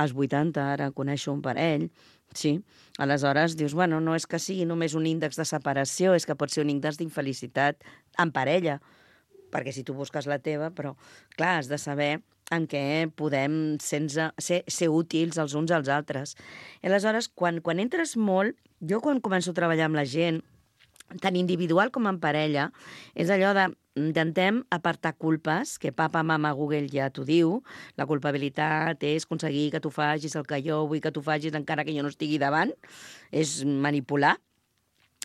als 80, ara coneixo un parell, sí. Aleshores dius, bueno, no és que sigui només un índex de separació, és que pot ser un índex d'infelicitat en parella, perquè si tu busques la teva, però clar, has de saber en què podem ser útils els uns als altres. I aleshores, quan entres molt, jo quan començo a treballar amb la gent, tant individual com en parella, és allò de intentem apartar culpes, que papa, mama, Google ja t'ho diu, la culpabilitat és aconseguir que tu facis el que jo vull que tu facis encara que jo no estigui davant, és manipular.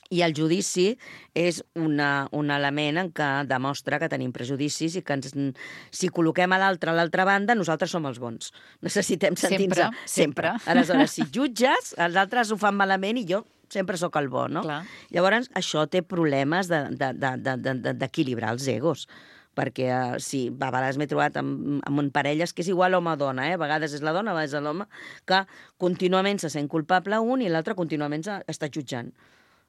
I el judici és un element en què demostra que tenim prejudicis i que si col·loquem a l'altra banda, nosaltres som els bons. Necessitem sentir-nos... Sempre. Aleshores, si jutges, els altres ho fan malament i jo sempre sóc el bo, no? Clar. Llavors, això té problemes d'equilibrar els egos, perquè sí, a vegades m'he trobat amb parelles que és igual home o dona, a vegades és la dona, a vegades és l'home, que contínuament se sent culpable un i l'altre contínuament està jutjant.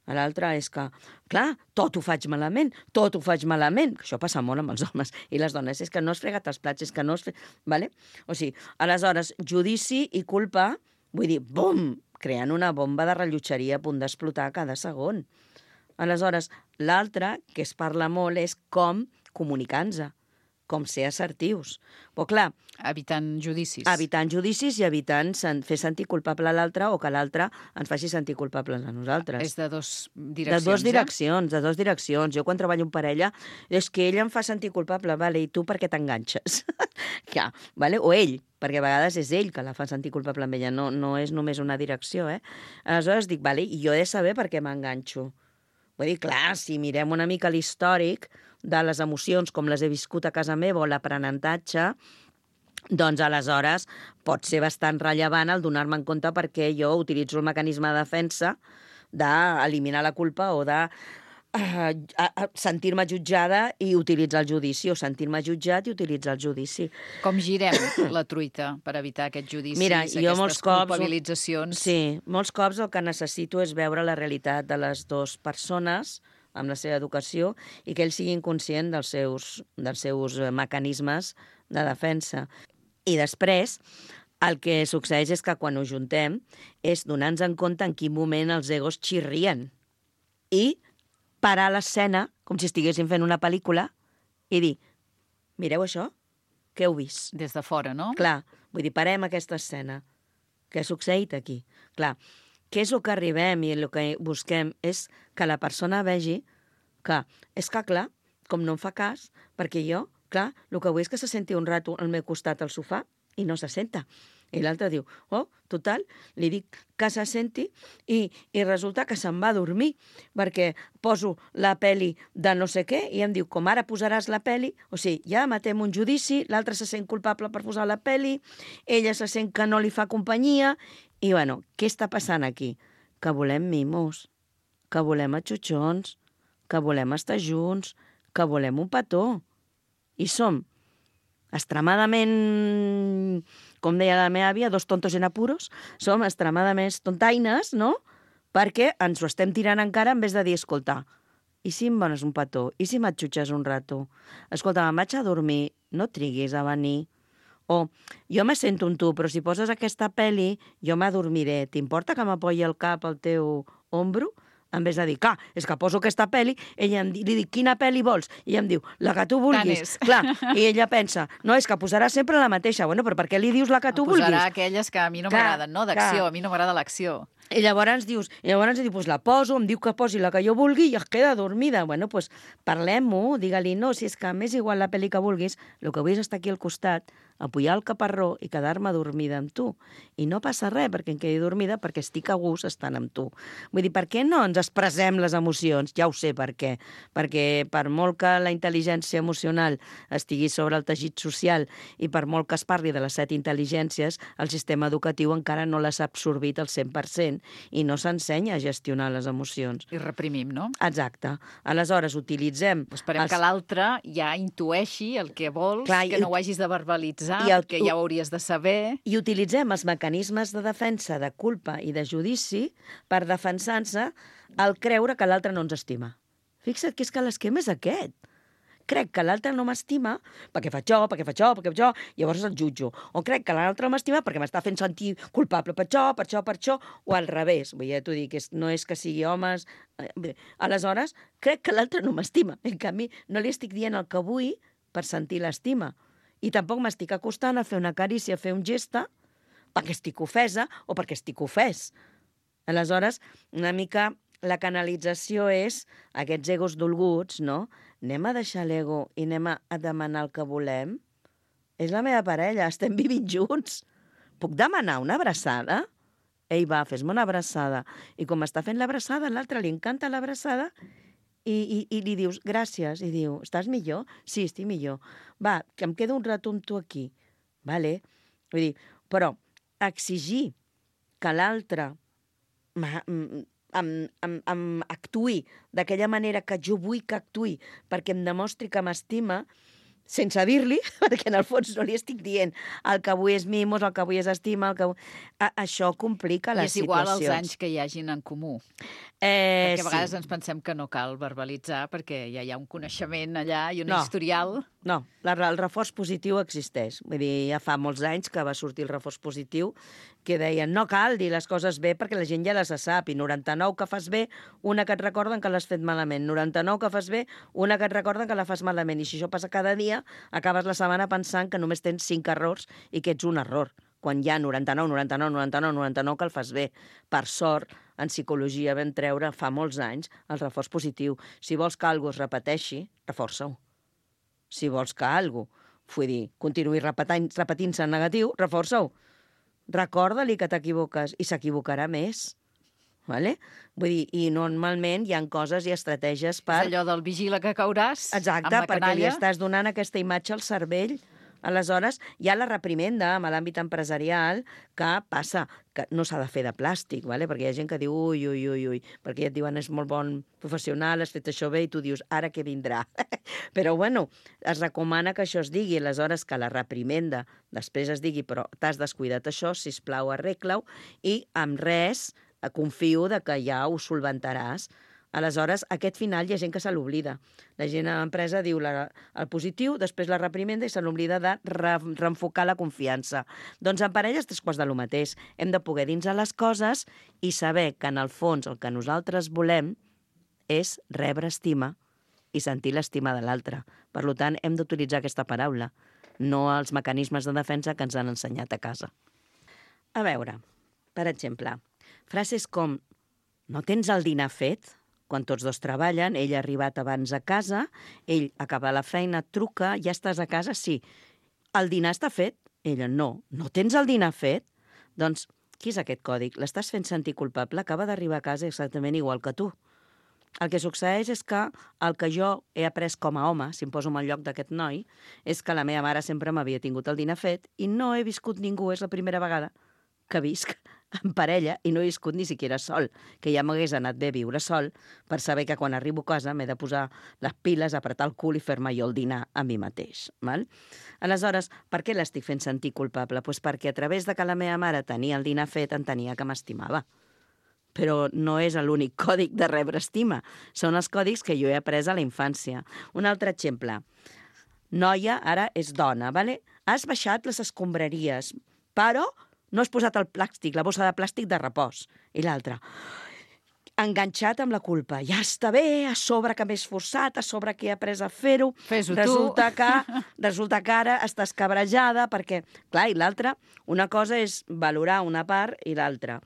L'altre és que, clar, tot ho faig malament, Això passa molt amb els homes i les dones. És que no has fregat els plats, és que no has fet... Vale? O sigui, aleshores, judici i culpa, vull dir, bum, creant una bomba de rellotgeria a punt d'explotar cada segon. Aleshores, l'altre, que es parla molt, és com comunicar-nos, com ser assertius. Però, clar... Evitant judicis. Evitant judicis i evitant fer sentir culpable a l'altre o que l'altre ens faci sentir culpables a nosaltres. És de dos direccions, de dos direccions. Jo quan treballo en parella és que ell em fa sentir culpable, vale, i tu per què t'enganxes? Ja, vale? O ell, perquè a vegades és ell que la fa sentir culpable amb ella, no és només una direcció, Aleshores dic, vale, i jo he de saber per què m'enganxo. Vull dir, clar, si mirem una mica l'històric de les emocions com les he viscut a casa meva o l'aprenentatge, doncs aleshores pot ser bastant rellevant el donar-me en compte perquè jo utilitzo el mecanisme de defensa d'eliminar la culpa o de sentir-me jutjada i utilitzar el judici, o sentir-me jutjat i utilitzar el judici. Com girem la truita per evitar aquests judicis, Mira, jo aquestes culpabilitzacions? Sí, molts cops el que necessito és veure la realitat de les dues persones amb la seva educació i que ells siguin conscients dels seus mecanismes de defensa. I després, el que succeeix és que quan ho juntem és donar-nos en compte en quin moment els egos xirrien i parar l'escena, com si estiguéssim fent una pel·lícula, i dir, mireu això? Què heu vist? Des de fora, no? Clar, vull dir, parem aquesta escena. Què ha succeït aquí? Clar, què és el que arribem i el que busquem és que la persona vegi que, és que clar, com no em fa cas, perquè jo, clar, el que vull és que se senti un rato al meu costat al sofà i no se senta. I l'altre diu, oh, total, li dic que se senti i resulta que se'n va a dormir perquè poso la peli de no sé què i em diu, com ara posaràs la peli, o sigui, ja matem un judici, l'altre se sent culpable per posar la peli, ella se sent que no li fa companyia i, bueno, què està passant aquí? Que volem mimos, que volem atxutxons, que volem estar junts, que volem un petó. I som extremadament, com deia la meva àvia, dos tontos en apuros, som extremadament tontaines, no? Perquè ens ho estem tirant encara en vez de dir, escolta, i si em dones un petó? I si m'atxutxes un rato? Escolta, me'n vaig a dormir, no triguis a venir. O, jo me sento amb tu, però si poses aquesta peli, jo m'adormiré. T'importa que m'apoyi el cap al teu ombro? En vez de dir, clar, és que poso aquesta pel·li, ella li dic, quina pel·li vols? I ella em diu, la que tu vulguis. Clar, i ella pensa, no, és que posarà sempre la mateixa. Bueno, però per què li dius la que tu vulguis? Posarà aquelles que a mi no m'agraden, no? D'acció, a mi no m'agrada l'acció. I llavors dius, pues la poso, em diu que posi la que jo vulgui i es queda dormida. Bueno, pues parlem-ho, digue-li, no, si és que m'és igual la pel·li que vulguis, el que vull és estar aquí al costat, apujar el caparró i quedar-me dormida amb tu. I no passa res perquè em quedi dormida perquè estic a gust estant amb tu. Vull dir, per què no ens expressem les emocions. Ja ho sé per què. Perquè per molt que la intel·ligència emocional estigui sobre el teixit social i per molt que es parli de les 7 intel·ligències, el sistema educatiu encara no les ha absorbit al 100% i no s'ensenya a gestionar les emocions. I reprimim, no? Exacte. Aleshores, utilitzem... Esperem que l'altre ja intueixi el que vols, que no ho hagis de verbalitzar, que ja ho hauries de saber. I utilitzem els mecanismes de defensa, de culpa i de judici per defensar-se al creure que l'altre no ens estima. Fixa't que és que l'esquema és aquest. Crec que l'altre no m'estima perquè fa això, perquè fa això, perquè fa això, llavors el jutjo. O crec que l'altre m'estima perquè m'està fent sentir culpable per això, o al revés. Vull dir, t'ho dic, no és que sigui homes... Bé, aleshores, crec que l'altre no m'estima. En canvi, no li estic dient el que vull per sentir l'estima. I tampoc m'estic acostant a fer una carícia, a fer un gesta, perquè estic ofesa o perquè estic ofès. Aleshores, una mica la canalització és aquests egos dolguts, no? Anem a deixar l'ego i anem a demanar el que volem? És la meva parella, estem vivint junts. Puc demanar una abraçada? Ei, va, fes-me una abraçada. I com està fent l'abraçada, a l'altre li encanta l'abraçada i li dius gràcies. I diu, estàs millor? Sí, estic millor. Va, que em quedo un rato amb tu aquí. Vale? Vull dir, però exigir que l'altre actuï d'aquella manera que jo vull que actuï perquè em demostri que m'estima sense dir-li, perquè en el fons no li estic dient el que avui és mimos, el que avui és estima, això complica les situacions. I és igual als anys que hi hagin en comú. Perquè a vegades ens pensem que no cal verbalitzar perquè ja hi ha un coneixement allà i un historial. No, el reforç positiu existeix. Vull dir, ja fa molts anys que va sortir el reforç positiu que deien no cal dir les coses bé perquè la gent ja les sap i 99 que fas bé, una que et recorden que l'has fet malament, 99 que fas bé, una que et recorden que la fas malament. I si això passa cada dia, acabes la setmana pensant que només tens 5 errors i que ets un error, quan hi ha 99 que el fas bé. Per sort, en psicologia vam treure fa molts anys el reforç positiu. Si vols que alguna cosa es repeteixi, reforça-ho. Si vols que alguna cosa, continuï repetint-se en negatiu, reforça-ho. Recorda-li que t'equivoques i s'equivocarà més. Vale? Vull dir, i normalment hi ha coses i estratègies per... És allò del vigila que cauràs. Exacte, perquè li estàs donant aquesta imatge al cervell. Aleshores, hi ha la reprimenda en l'àmbit empresarial que passa, que no s'ha de fer de plàstic, vale? Perquè hi ha gent que diu ui, perquè ja et diuen és molt bon professional, has fet això bé, i tu dius ara què vindrà. Però bueno, es recomana que això es digui, aleshores que la reprimenda després es digui però t'has descuidat això, sisplau, arregla-ho, i amb res confio que ja ho solventaràs. Aleshores, aquest final hi ha gent que se l'oblida. La gent a l'empresa diu el positiu, després la reprimenda i se l'oblida de reenfocar la confiança. Doncs en parelles 3/4 del mateix. Hem de poder dins a les coses i saber que en el fons el que nosaltres volem és rebre estima i sentir l'estima de l'altre. Per tant, hem d'utilitzar aquesta paraula, no els mecanismes de defensa que ens han ensenyat a casa. A veure, per exemple, frases com no tens el dinar fet? Quan tots dos treballen, ell ha arribat abans a casa, ell acaba la feina, truca, ja estàs a casa? Sí. El dinar està fet? Ella, no. No tens el dinar fet? Doncs, qui és aquest còdig? L'estàs fent sentir culpable? Acaba d'arribar a casa exactament igual que tu. El que succeeix és que el que jo he après com a home, si em poso en el lloc d'aquest noi, és que la meva mare sempre m'havia tingut el dinar fet i no he viscut ningú, és la primera vegada que visc en parella i no he viscut ni siquiera sol, que ja m'hagués anat bé viure sol per saber que quan arribo a casa m'he de posar les piles, apretar el cul i fer-me jo el dinar a mi mateix. Val? Aleshores, per què l'estic fent sentir culpable? Pues perquè a través de que la meva mare tenia el dinar fet entenia que m'estimava. Però no és l'únic còdic de rebre estima. Són els còdics que jo he après a la infància. Un altre exemple. Noia, ara és dona, vale? Has baixat les escombraries, però no has posat el plàstic, la bossa de plàstic de repòs. I l'altre, enganxat amb la culpa. Ja està bé, a sobre que m'he esforçat, a sobre que he après a fer-ho. Fes-ho resulta que ara estàs cabrejada perquè... Clar, i l'altre, una cosa és valorar una part i l'altra.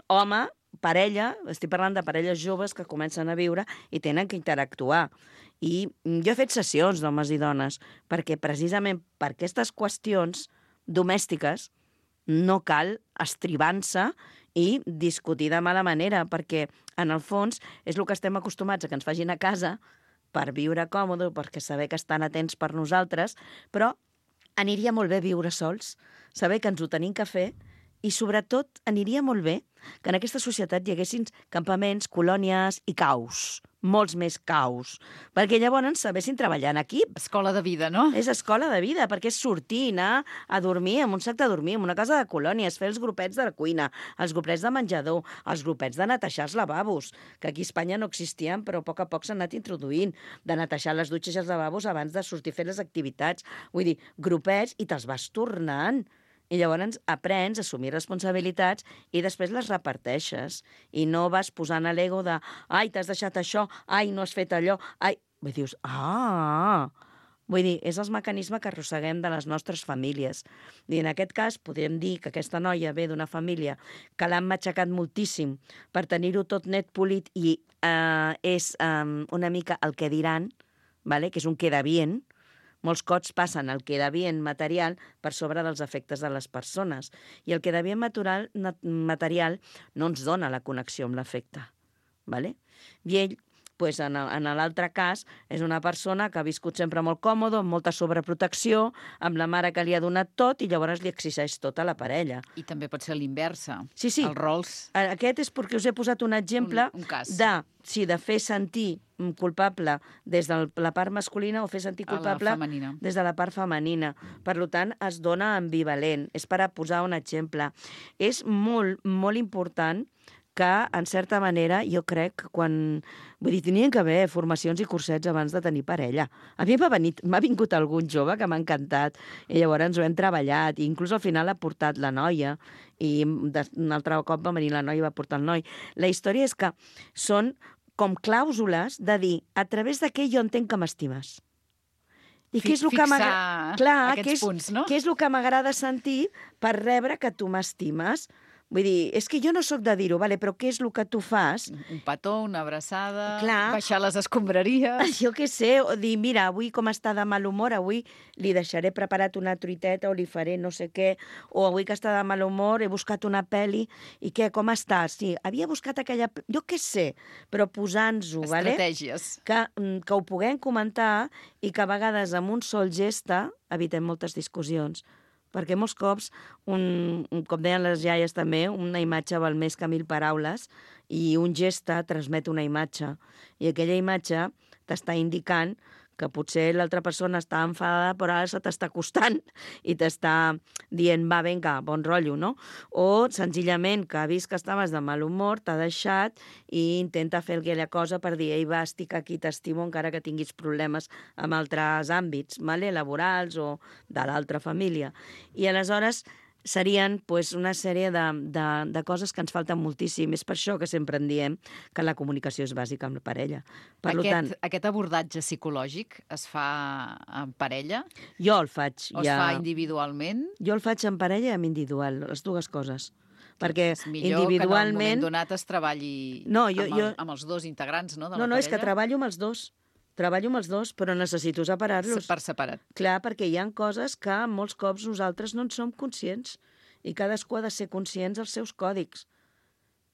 Home, parella, estic parlant de parelles joves que comencen a viure i tenen que interactuar. I jo he fet sessions d'homes i dones perquè precisament per aquestes qüestions domèstiques no cal estribant-se i discutir de mala manera, perquè en el fons és el que estem acostumats a que ens facin a casa per viure còmode, perquè saber que estan atents per nosaltres, però aniria molt bé viure sols, saber que ens ho tenim que fer, i sobretot aniria molt bé que en aquesta societat hi haguessin campaments, colònies i caus, molts més caus, perquè llavors sabessin treballar en equip. Escola de vida, no? És escola de vida, perquè és sortir, anar a dormir en un sac de dormir, en una casa de colònies, fer els grupets de la cuina, els grupets de menjador, els grupets de netejar els lavabos, que aquí a Espanya no existien, però a poc s'han anat introduint, de netejar les dutxes i els lavabos abans de sortir a fer les activitats. Vull dir, grupets, i te'ls vas tornant. I llavors aprens a assumir responsabilitats i després les reparteixes. I no vas posant a l'ego de ai, t'has deixat això, ai, no has fet allò, ai... Vull dir, Vull dir, és el mecanisme que arrosseguem de les nostres famílies. I en aquest cas podríem dir que aquesta noia ve d'una família que l'han matxacat moltíssim per tenir-ho tot net polit i és una mica el que diran, vale? Que és un queda bien. Molts cops passen el queda bien material per sobre dels efectes de les persones. I el queda bien material no ens dona la connexió amb l'efecte. Vale? I ell, pues, en l'altre cas, és una persona que ha viscut sempre molt còmode, amb molta sobreprotecció, amb la mare que li ha donat tot i llavors li exigeix tot a la parella. I també pot ser l'inversa. Sí. Els rols. Aquest és perquè us he posat un exemple un cas. de fer sentir culpable des de la part masculina o fer sentir culpable des de la part femenina. Per tant, es dona ambivalent. És per a posar un exemple. És molt, molt important que, en certa manera, jo crec que quan... Vull dir, tenien que haver formacions i cursets abans de tenir parella. A mi m'ha vingut algun jove que m'ha encantat i llavors ho hem treballat i inclús al final ha portat la noia i un altre cop va venir la noia i va portar el noi. La història és que són com clàusules de dir a través de què jo entenc que m'estimes. I què és el que aquests punts, no? Què és el que m'agrada sentir per rebre que tu m'estimes? Vull dir, és que jo no sóc de dir-ho, vale, però què és el que tu fas? Un petó, una abraçada, clar, baixar les escombraries... Jo què sé, o dir, mira, avui com està de mal humor, avui li deixaré preparat una truiteta o li faré no sé què, o avui que està de mal humor he buscat una pel·li, i què, com estàs? Sí, havia buscat aquella... Jo què sé, però posant-ho, vale? Estratègies. Que ho puguem comentar i que a vegades amb un sol geste evitem moltes discussions. Perquè molts cops, com deien les iaies també, una imatge val més que 1000 paraules i un geste transmet una imatge. I aquella imatge t'està indicant que potser l'altra persona està enfadada però ara se t'està acostant i t'està dient, va, vinga, bon rotllo, no? O senzillament que ha vist que estaves de mal humor, t'ha deixat i intenta fer aquella cosa per dir, ei, va, estic aquí, t'estimo encara que tinguis problemes amb altres àmbits, vale? Laborals o de l'altra família. I aleshores serien pues, una sèrie de coses que ens falten moltíssim. És per això que sempre en diem que la comunicació és bàsica amb la parella. Aquest abordatge psicològic es fa en parella? Jo el faig. O es fa individualment? Jo el faig en parella i en individual, les dues coses. Perquè és millor individualment... que en un moment donat es treballi amb els dos integrants, no, de la parella? No, és que treballo amb els dos. Treballo amb els dos, però necessito separar-los. Per separat. Clar, perquè hi ha coses que molts cops nosaltres no en som conscients i cadascú ha de ser conscient dels seus còdics.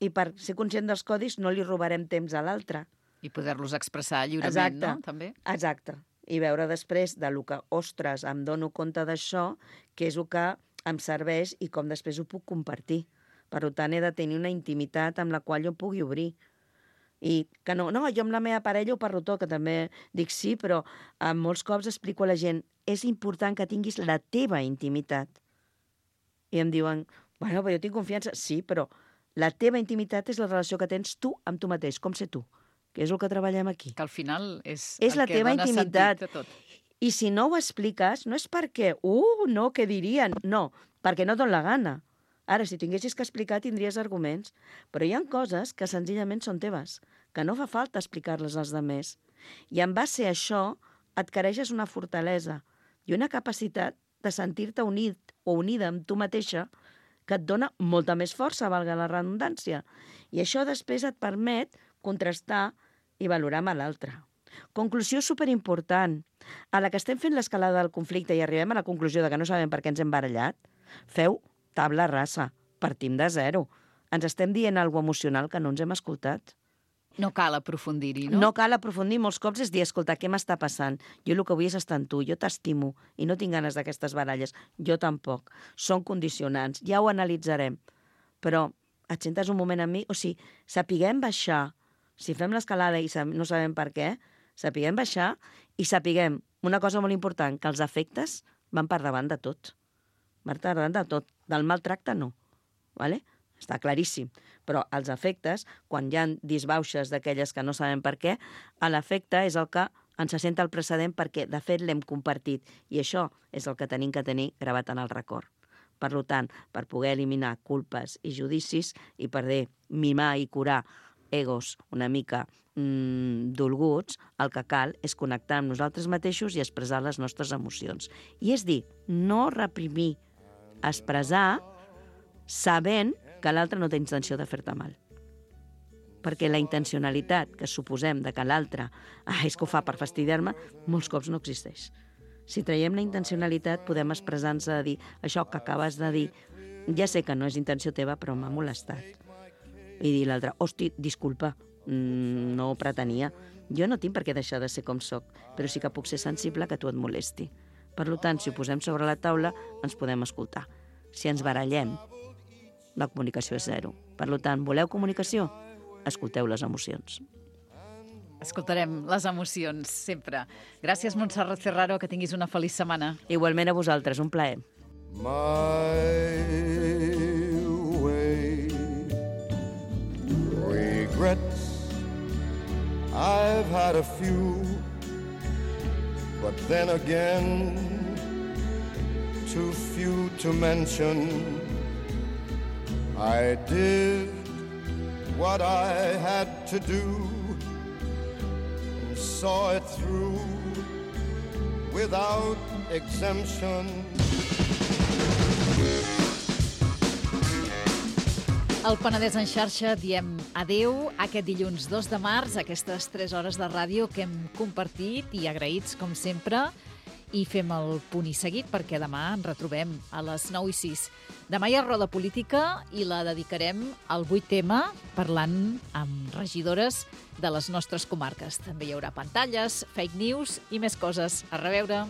I per ser conscient dels còdics no li robarem temps a l'altre. I poder-los expressar lliurement, no? També. Exacte. I veure després de lo que, ostres, em dono compte d'això, què és el que em serveix i com després ho puc compartir. Per tant, he de tenir una intimitat amb la qual jo pugui obrir. I que no, jo amb la meva parella ho parlo tot, que també dic sí, però molts cops explico a la gent és important que tinguis la teva intimitat. I em diuen, bueno, però jo tinc confiança. Sí, però la teva intimitat és la relació que tens tu amb tu mateix, com ser tu, que és el que treballem aquí. Que al final és la que teva dona intimitat. sentit a tot. I si no ho expliques, no és perquè, no, què dirien? No, perquè no et dona la gana. Ara, si tinguessis que explicar, tindries arguments. Però hi ha coses que senzillament són teves, que no fa falta explicar-les als altres. I en base a això adquireixes una fortalesa i una capacitat de sentir-te unit o unida amb tu mateixa que et dona molta més força, valga la redundància. I això després et permet contrastar i valorar amb l'altre. Conclusió superimportant. A la que estem fent l'escalada del conflicte i arribem a la conclusió de que no sabem per què ens hem barallat, feu tabla rasa, partim de zero. ens estem dient alguna cosa emocional que no ens hem escoltat. No cal aprofundir-hi, no? No cal aprofundir, molts cops és dir, escolta, què m'està passant? Jo el que vull és estar amb tu, jo t'estimo i no tinc ganes d'aquestes baralles. Jo tampoc. Són condicionants, ja ho analitzarem. Però et sentes un moment amb mi? O sigui, sapiguem baixar. Si fem l'escalada i no sabem per què, sapiguem baixar i sapiguem una cosa molt important, que els afectes van per davant de tot. Van per davant de tot. Del maltracte no. Vale? Està claríssim. Però els afectes, quan hi ha disbauxes d'aquelles que no sabem per què, l'efecte és el que ens assenta el precedent perquè, de fet, l'hem compartit. I això és el que tenim que tenir gravat en el record. Per tant, per poder eliminar culpes i judicis i per mimar i curar egos una mica dolguts, el que cal és connectar amb nosaltres mateixos i expressar les nostres emocions. I és dir, no reprimir, expressar sabent que l'altre no té intenció de fer-te mal. Perquè la intencionalitat que suposem de que l'altre és que ho fa per fastidiar-me, molts cops no existeix. Si traiem la intencionalitat, podem expressar-nos a dir això que acabes de dir, ja sé que no és intenció teva, però m'ha molestat. I dir l'altre, hosti, disculpa, no ho pretenia. Jo no tinc per què deixar de ser com soc, però sí que puc ser sensible que tu et molesti. Per tant, si ho posem sobre la taula, ens podem escoltar. Si ens barallem, la comunicació és zero. Per tant, voleu comunicació? Escolteu les emocions. Escoltarem les emocions, sempre. Gràcies, Montserrat Ferraro, que tinguis una feliç setmana. Igualment a vosaltres, un plaer. My way, regrets, I've had a few, but then again, too few to mention. I did what I had to do and saw it through without exemption. Al Penedès en xarxa diem adeu aquest dilluns 2 de març, aquestes 3 hores de ràdio que hem compartit i agraïts, com sempre, i fem el punt i seguit perquè demà ens retrobem a les 9:06. Demà hi ha roda política i la dedicarem al 8M parlant amb regidores de les nostres comarques. També hi haurà pantalles, fake news i més coses. A reveure.